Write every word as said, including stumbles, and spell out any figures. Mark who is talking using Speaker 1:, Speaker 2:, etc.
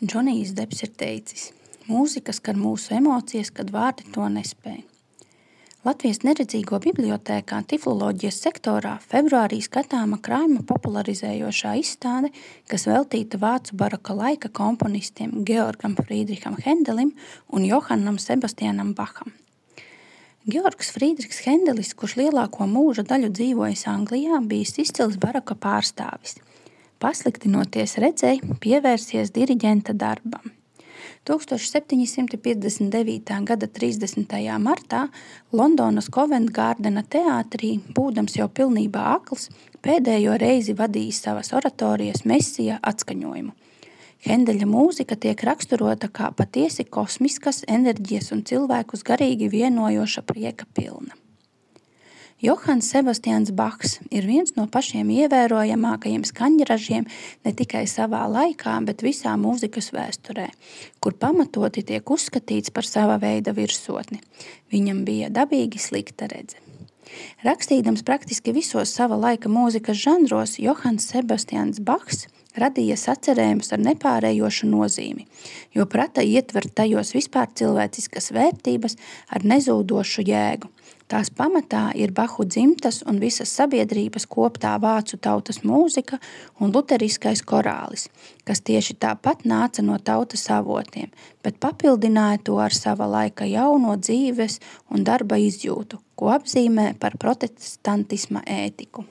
Speaker 1: Džonijs Depps ir teicis: mūzika skar mūsu emocijas, kad vārdi to nespēj. Latvijas neredzīgo bibliotēkā tifloloģijas sektorā februārī skatāma krājuma popularizējošā izstāde, kas veltīta vācu baroka laika komponistiem Georgam Friedricham Hendelim un Johannam Sebastianam Bacham. Georgs Friedrichs Hendelis, kurš lielāko mūža daļu dzīvojis Anglijā, bijis izcils baroka pārstāvis. Pasliktinoties redzei, pievērsies diriģenta darbam. tūkstoš septiņi simti piecdesmit devītā gada trīsdesmitajā martā Londonas Covent Gardena teātrī, būdams jau pilnībā akls, pēdējo reizi vadījis savas oratorijas Mesija atskaņojumu. Hendeļa mūzika tiek raksturota kā patiesi kosmiskas enerģijas un cilvēkus garīgi vienojoša prieka pilna. Johanns Sebastians Bachs ir viens no pašiem ievērojamākajiem skaņražiem ne tikai savā laikā, bet visā mūzikas vēsturē, kur pamatoti tiek uzskatīts par sava veida virsotni. Viņam bija dabīgi slikta redze. Rakstīdams praktiski visos sava laika mūzikas žanros, Johanns Sebastians Bachs radīja sacerējumus ar nepārējošu nozīmi, jo prata ietvert tajos vispār cilvēciskas vērtības ar nezūdošu jēgu. Tās pamatā ir Bahu dzimtas un visas sabiedrības koptā vācu tautas mūzika un luteriskais korālis, kas tieši tāpat nāca no tautas avotiem, bet papildināja to ar sava laika jauno dzīves un darba izjūtu, ko apzīmē par protestantisma ētiku.